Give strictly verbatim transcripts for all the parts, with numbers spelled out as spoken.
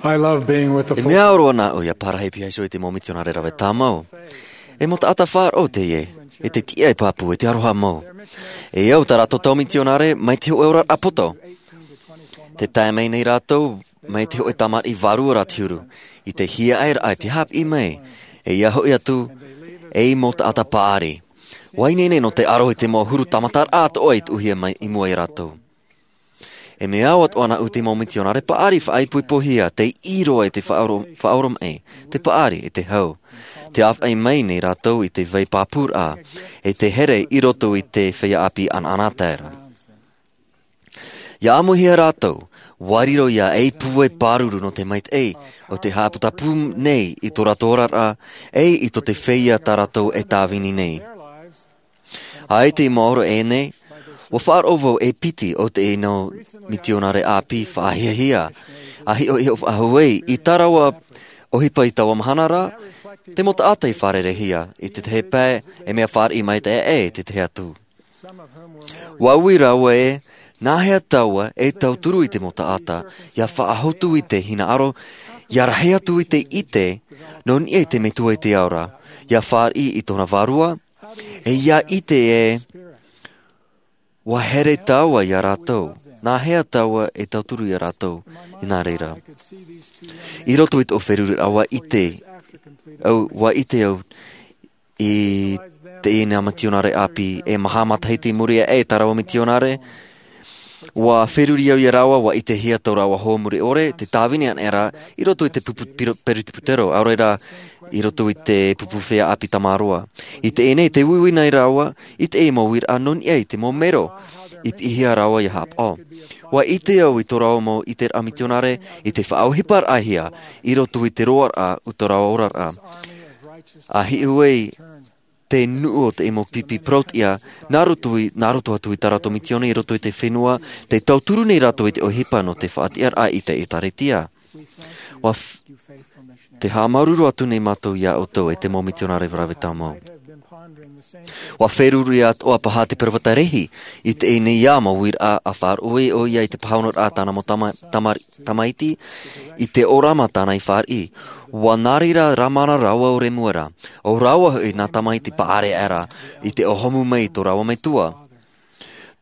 I love being with the E mea ʻoro ana au ia parahi piha iho i te mau mitionare rave tāmau. E mau taʻata faʻaroʻo teie, e te tiʻa e pāpū, e te aroha mau. E au tā rātou tau mitionare mai te hoʻe ora poto. Te tae mai nei rātou mai te hoʻe tamariʻi vārua rā te huru, i te hiaʻai raʻa i te haʻapiʻi mai, e ia hoʻi atu, ei mau taʻata paʻari. ʻUa ineine nō te aro i te mau huru tāmata raʻa atoʻa i tuʻuhia mai i mua ia rātou. E mea au atoʻa ana au i te mau mitionare paʻari faʻaipoipohia, tei ʻī roa i te faʻaoro-, faʻaoromaʻi, te paʻari, e te hau. Te āfaʻi mai nei rātou i te vai pāpū raʻa, e te here i roto i te feiā ʻāpī ʻanaʻanatae ra. ʻIa ʻāmuihia rātou, ʻua riro ia ei pūai pāruru nō te maitaʻi o te haʻaputapū nei i tō rātou oraraʻa, e i tō te feiā tā rātou e tāvini nei. ʻAita i maoro ʻē nei, ʻua faʻaroʻo vau e piti o teie mau mitionare ʻāpī faʻahiahia, ʻa hiʻohiʻo faʻahou ai i tā rāua ʻohipa i taua mahana ra, te mau taʻata i fārerei-hia, i te tahi pae, e mea fāriʻi maitaʻi aʻe i te tahi atu. ʻUa ui rāua ē, nāhea tāua e tauturu i te mau taʻata, ʻia faʻahotu i te hinaʻaro, ʻia rahi atu i te ʻite, nō niʻa i te Metua i te ao ra, ʻia fāriʻi i tōna vārua, e ʻia ʻite ē, ʻua here tāua ia rātou, nāhea tāua e tauturu ia rātou, i nā reira. I roto i tō feruriraʻa ʻua ʻite, au, ʻua ʻite au, i teie nei mitionare ʻāpī, e maha matahiti i muri aʻe i tā rāua mitionare, ʻua feruri au ia rāua, ʻua ʻitehia tō rāua hoa mure ʻore, te tāvini anaʻe ra, i roto i te pupu piro-, peretiputero, ʻaore rā, i roto i te pupu feiā ʻāpī tamaroa. I teie nei, tē uiui nei rāua, i teie mau uiraʻa nō niʻa i te mau mero, i piʻihia rāua ʻia haʻapaʻo. ʻUa ʻite au i tō rāua mau ʻiteraʻa mitionare, i te faʻaʻohiparaʻahia, i roto i te roaraʻa, o tō rāua oraraʻa. ʻA hiʻo ai, te nuʻu o te mau pipi parau-tiʻa, nā roto i, nā roto atu i tā rātou mitione, i roto i te fenua, tē tauturu nei rātou i te ʻohipa nō te faʻatiʻaraʻa i te ʻĒtārētia. ʻUa f-, tē haʻamāuruuru atu nei mātou ia ʻoutou e te mau mitionare rave tāmau. ʻUa feruri atoʻa paha te peropheta Lehi, i teie nei mau uiraʻa ʻa faʻaroʻo ʻoia i te pāhonoraʻa tāna mau tama-, tama-, tamaiti, i te ʻōrama tāna i fāriʻi. ʻUa nā reira rā māna rāua o Remuera, ʻo rāua hoʻi nā tamaiti paʻari aʻera, i te ʻōhomu mai i tō rāua metua.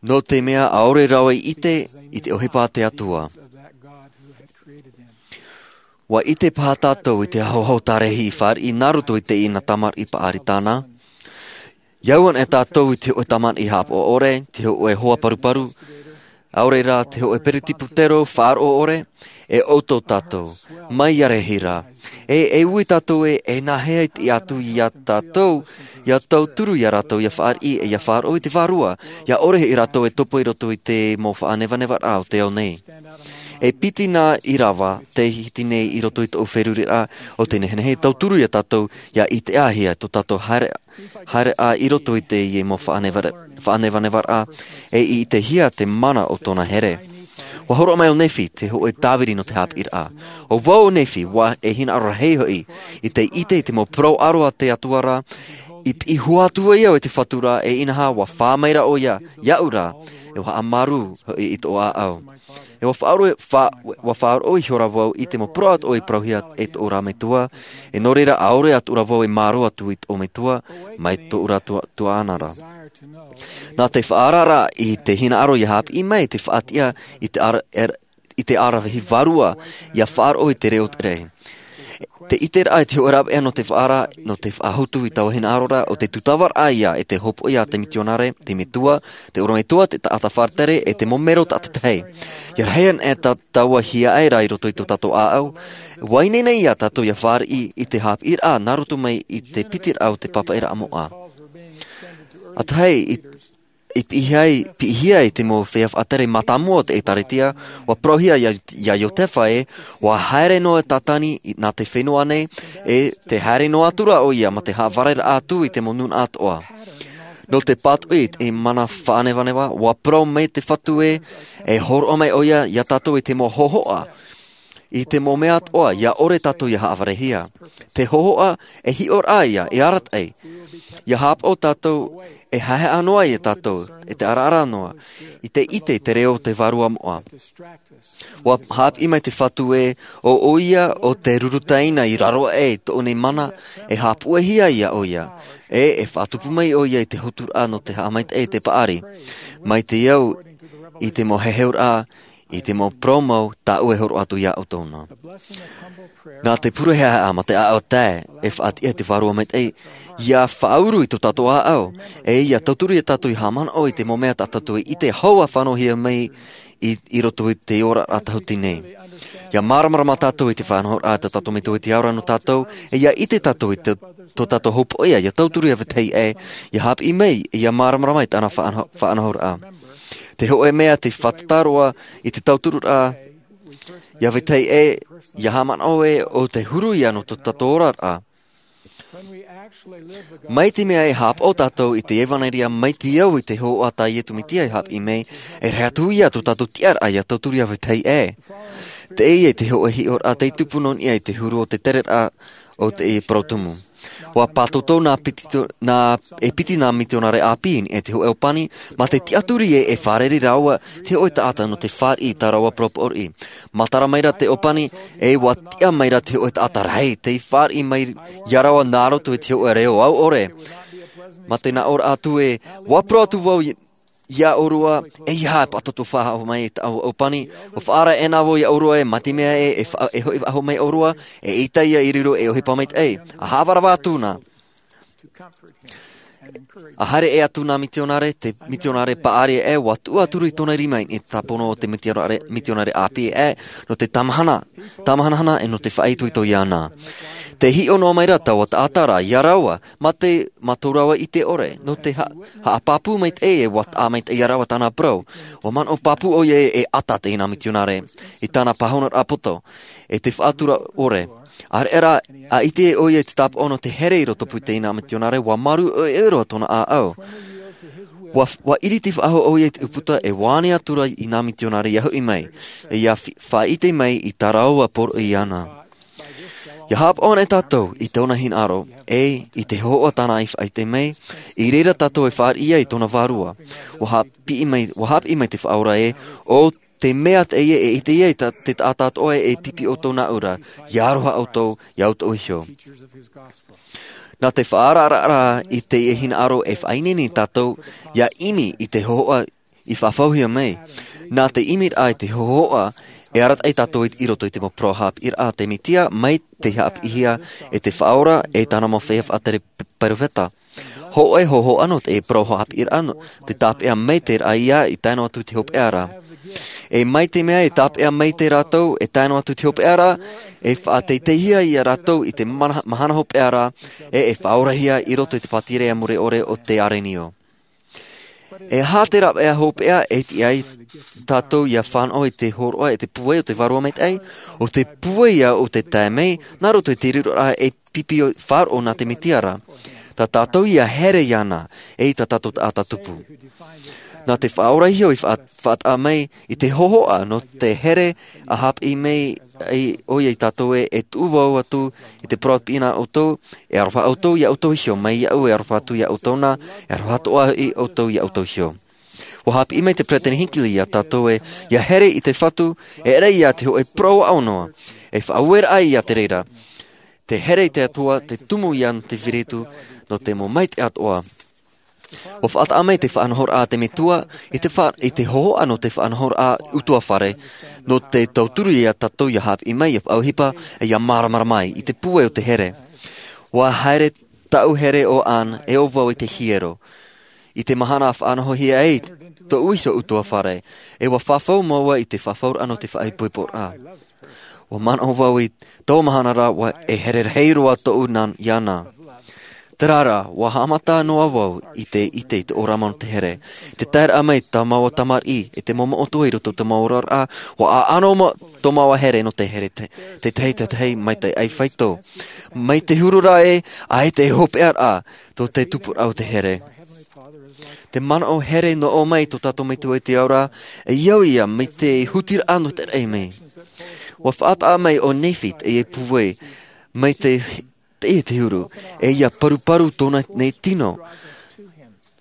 Nō te mea ʻaore rāua i ʻite, i te ʻohipa a te Atua. ʻUa ʻite paha tātou i te ahoaho tā Lehi i fāriʻi nā roto i teie tamariʻi paʻari tāna. ʻIa au anaʻe tātou i te hōʻē tamariʻi haʻapaʻo ʻore, te hōʻē hoa paruparu, ʻaore rā te hōʻē peretiputero faʻaroʻo ʻore, e ʻoutou tātou, mai ia Lehi ra. E, e ui tātou ē, e nāhea i te ʻatu ia tātou, ʻia tauturu ia rātou, ʻia fāriʻi, e ʻia faʻaroʻo i te Vārua, ʻia ʻore hoʻi rātou e topa i roto i te mau faʻanevanevaraʻa o te ao nei. E piti nā ʻīrava, tē hiti nei i roto i tōʻu feruriraʻa, ʻo te nehenehe e tauturu ia tātou, ʻia ʻitehia tō tātou haere, haereʻa i roto i teie mau faʻaneva-, faʻanevanevaraʻa, e i ʻitehia te mana o tōna here. ʻUa hōroʻa mai ʻo Nephi, te hōʻē tāviri nō te haʻapiʻiraʻa. ʻO vau ʻo Nephi, ʻua e hinaʻaro rahi hoʻi, i te ʻite i te mau parau ʻaro a te Atua ra, i piʻi hua atu ai au e te Fatu ra, e inaha ʻua fā mai ra ʻoia, iaʻu ra, e ʻua haʻamāuruuru hoʻi i tōʻu ʻāʻau. E ʻua faʻaroʻo, fa-, ʻua faʻaroʻo ihora vau i te mau parau atoʻa i parauhia e tōʻu ra metua, e nō reira ʻaore atu ra vau e mārō atu i tōʻu metua, mai tōʻu ra tua-, tuaʻana ra. Nā te faʻaararaʻa i te hinaʻaro ʻia haʻapiʻi mai te faʻatiʻa i te ara-, er-, i te aravihi vārua, ʻia faʻaroʻo i te reo tere. Te ʻiteraʻa i te hōʻē rāveʻa nō te faʻaara-, nō te faʻahotu i taua hinaʻaro ra, ʻo te tūtavaraʻa ia e te hopoiʻa a te mitionare, te metua, te ʻorometua, te taʻata faʻatere, e te mau mero tātaʻitahi. ʻIa rahi anaʻe tā-, taua hiaʻai ra i roto i tō tātou ʻāʻau, ʻua ineine ia tātou ʻia fāriʻi i te haʻapiʻiraʻa nā roto mai i te pitiraʻa o te pāpaʻiraʻa moʻa. ʻA tahi, i, i piʻihia ai, piʻihia ai te mau feiā faʻatere mātāmua o te ʻĒtārētia, ʻua parauhia ia, ia Iosepha ē, ʻua haere noa tātani i, nā te fenua nei, e tē haere noa atu ra ʻoia mā te haʻavāreraʻa atu i te mau nūnaʻa atoʻa. Nō te pātoʻi i te mana faʻanevaneva, ʻua parau mai te Fatu ē, e hōroʻa mai ʻoia ia tātou i te mau hōhoʻa. I te mau mea atoʻa ia ʻore tātou ia haʻavarehia. Te hōhoʻa e hiʻoraʻa ia e arataʻi. Ia hāpaʻo tātou e haehaʻa noa ia tātou e te araara noa i te ʻite i te reo o te vārua moʻa. Ua hāpiʻi mai te fatu ē ʻo ʻoia ʻo te rurutaina i raro aʻe i tōʻu nei mana e hāpuʻehia ia ʻoia. E e faʻatupu mai ʻoia i te hoturaʻa nō te haʻamaitaʻi i te paʻari mai te au i te mau heheuraʻa i te mau parau mau tāʻu e horo atu ia ʻoutou na. Nā te pure haehaʻa ma te ʻaʻau tae e faʻatiʻa i te vārua maitaʻi ia faʻauru i tō tātou ʻāʻau e ia tauturu ia tātou i haʻamanaʻo i te mau mea tā tātou i ʻite hou a fānauhia mai i roto i te ora a tahuti nei. Ia māramarama tātou i te faʻanahoraʻa tō tātou metua i te aora nō tātou e ia ʻite tātou i tō tātou hōpoʻia ia tauturu ia vetahi ʻē ia hāpiʻi mai ia māramarama i tāna faʻanahoraʻa. Te hoʻe mea te faʻatataroa i te tauturuʻa ia vetahi ʻē ia haʻamanaʻo ē ʻo te huru ia nō tō tātou oraraʻa. Mai te mea e hāpaʻo tātou i te evanelia mai te au i te hōhoʻa tā iesu mesia e hāpiʻi mai e rahi atu ia tō tātou tiʻaraʻa ia tauturu ia vetahi ʻē. Teie te hoʻe hiʻoraʻa tei tupu nō niʻa i te huru o te tereraʻa o te parau tumu. Ua pātōtō nā piti nā e piti nā mitionare ʻāpī i niʻa i te hoʻe ʻōpani ma te tiʻaturi ē e fārerei rāua te hoʻe taʻata nō te fāriʻi i tā rāua parau poʻoriʻi. Matara mai rā te ʻōpani e ua tiʻa mai rā te hoʻe taʻata rahi tei fāriʻi mai ia rāua nā roto i te hoʻe reo au ʻore. Ma te nā ʻōraʻa atu ē ua parau atu vau ia ʻōrua e ia e pātōtō faʻahou mai i tāʻu ʻōpani. Ua faʻaara ʻēnā vau ia ʻōrua e mai te mea ē e hoʻi faʻahou mai ʻōrua e ʻita ia i riro e ʻohipa maitaʻi a haʻavarava atu na. A haere ʻē atu nā mitionare te mitionare paʻari ʻē ua tuʻu atu rā i tōna rima i te tāpono o te mitionare ʻāpī ʻē nō te tamahanahana e nō te faʻaitoito iāna. Te hiʻo noa mai rā taua taʻata rā ia rāua ma te ma tō rāua ʻite ʻore nō te haʻapāpū maitaʻi e ua taʻa maitaʻi ia rāua tāna parau. Ua manaʻo pāpū ʻoia e ʻata teie nā mitionare i tāna pāhonoraʻa poto e te faʻatura ʻore. ʻAreʻa rā a ʻite ʻoia i te tāpaʻo nō te here i roto pū teie nā mitionare ua marū ʻoiʻoi roa tōna ʻāʻau. Ua ʻiriti faʻahou ʻoia i te ʻūputa e ua ani atu rā i nā mitionare ia hoʻi mai e ia faʻaʻite mai i tā rāua poroʻi iāna. Ia hāpaʻo ana e tātou i tōna hinaʻaro e i te hōhoʻa tāna i faʻaʻite mai i reira tātou e fāriʻi ai i tōna vārua. Ua hāpiʻi mai ua hāpiʻi mai te faʻaora ē ʻo te mea teie e ʻite ia i te taʻata atoʻa e pipi ʻoutou nāʻu rā ia aroha ʻoutou ia ʻoutou iho. Nā te faʻaararaʻa i teie hinaʻaro e faʻaineine tātou ia ʻimi i te hōhoʻa i faʻafauhia mai. Nā te ʻimiraʻa i te hōhoʻa e arataʻi tātou i roto i te mau parau haʻapiʻiraʻa a te mesia mai te haʻapiʻihia e te faʻaora e tāna mau feiā faʻatere peropheta. Hōʻē hōhoʻa nō te parau haʻapiʻiraʻa nō te tāpeʻa maitaʻi ia i tae noa atu i te hopeʻa ra. E mai te mea e tāpeʻa maitaʻi rātou e tae noa atu i te hopeʻa ra e faʻateiteihia ia rātou i te mahana hopeʻa ra e e faʻaorahia i roto i te pātireia mure ʻore o te arenio. E aha te rāveʻa hopeʻa e tiʻa ai tātou ia fānaʻo i te hōroʻa e te pūai o te vārua maitaʻi o te pūai ia o te tae mai nā roto i te riroraʻa e pipi faʻaroʻo nā te mesia ra. Tā tātou ia here iāna e i tā tātou taʻata tupu. Nā te faʻaora iho i faʻataʻa mai i te hōhoʻa nō te here a hāpiʻi mai ʻoia i tātou e e tuʻu vau atu i te parau pīna ʻoutou e aroha ʻoutou ia ʻoutou iho mai iaʻu e aroha atu ia ʻoutou na e aroha atoʻa hoʻi ʻoutou ia ʻoutou iho. Ua hāpiʻi mai te peresideni hinckley ia tātou e ia here i te fatu e ʻere ia te hoʻe parau aʻo noa e faʻaueraʻa ia te reira. Te here i te atua te tumu ia nō te firitu nō te mau maitaʻi atoʻa. Ua faʻataʻa mai te faʻanahoraʻa a te metua i te hōhoʻa nō te faʻanahoraʻa utuafare nō te tauturu ia tātou ia hāpiʻi mai ia faʻaʻohipa e ia māramarama ai i te pūai o te here. Ua haere taʻu here o anne e ʻo vau i te hiero i te mahana a faʻanahohia ai tōʻu iho utuafare e ua fafau māua i te fafauraʻa nō te faʻaipoiporaʻa. Ua manaʻo vau i tō mahana rā ua e here rahi roa tōʻu nā iāna. Terā rā ua haʻamata noa vau i te ʻite i te ʻōrama nō te here. Te taeraʻa mai tā māua tamariʻi e te momoʻo atoʻa i roto i tō māua oraraʻa ua ʻaʻano tō māua here nō te here tētahi tētahi maitaʻi ʻai faito mai te huru rā e ʻaita e hopeʻaraʻa tō te tupuraʻa o te here. Te manaʻo here nō ʻō mai tō tātou Metua i te Ao ra, e au ia mai te hutiraʻa nō te raʻi mai. Ua faʻataʻa mai ʻo Nephi teie pūai, mai te, teie te huru, e ia paruparu tōna nei tino.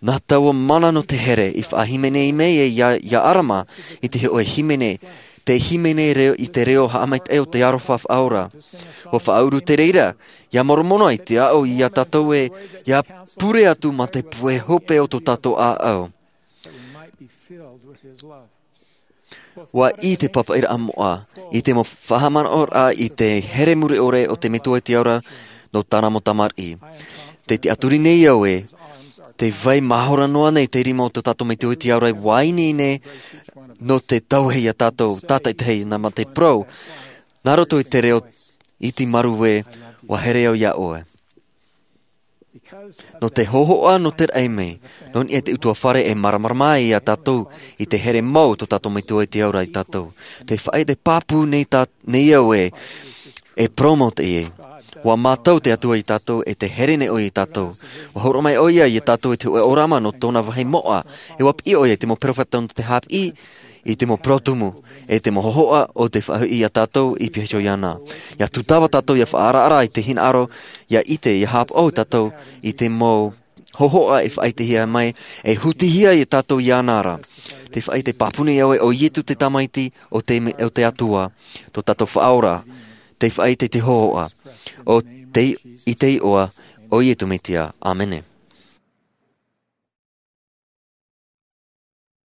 Nā taua mana nō te here, i faʻahīmene mai e ia, ia ʻArama, i te hōʻē hīmene, te hīmene reo, i te reo haʻamaitaʻi o te aroha faʻaora. Ua faʻaʻuru te reira, ia Moromona i te aʻo ia tātou e, ia pure atu mā te pūai hope o tō tātou ʻāʻau. Ua ʻī te pāpaʻiraʻa moʻa, i te mau faʻahaʻamanaʻoraʻa i te here mure ʻore o te Metua i te Ao ra, nō tāna mau tamariʻi. Tē tiʻaturi nei au ē, te vai mahora noa nei te rima o tō tātou Metua i te Ao ra, ua ineine, nō te tauhē ia tātou, tātaʻitahi nā mā te parau, nā roto i te reo iti marū ē, ua here au ia ʻoe. Nō te hōhoʻa nō te raʻi mai, nō niʻa i te ʻutuāfare e māramarama ai ia tātou, i te here mau tō tātou Metua i te Ao ra ia tātou. Tē faʻaʻite pāpū nei tā, nei au ē, e parau mau teie. Ua mātau te Atua ia tātou, e tē here nei ʻoia ia tātou. Ua hōroʻa mai ʻoia ia tātou i te hōʻē ʻōrama nō tōna vāhi moʻa, e ua piʻi ʻoia i te mau peropheta nō te haʻapiʻi, i te mau parau tumu, e te mau hōhoʻa o te faʻahoʻi ia tātou i piha iho iāna. Ia tūtava tātou ia faʻaaraara i te hinaʻaro, ia ʻite, ia haʻapaʻo tātou i te mau hōhoʻa e faʻaʻitehia mai, e hutihia ia tātou iāna ra. Tē faʻaʻite pāpū nei au ē, ʻo Ietu te Tamaiti o te me-, o te Atua, tō tātou Faʻaora, tē faʻaʻite i te hōhoʻa. ʻO te, i te iʻoa, ʻo Ietu Metia. ʻĀmene.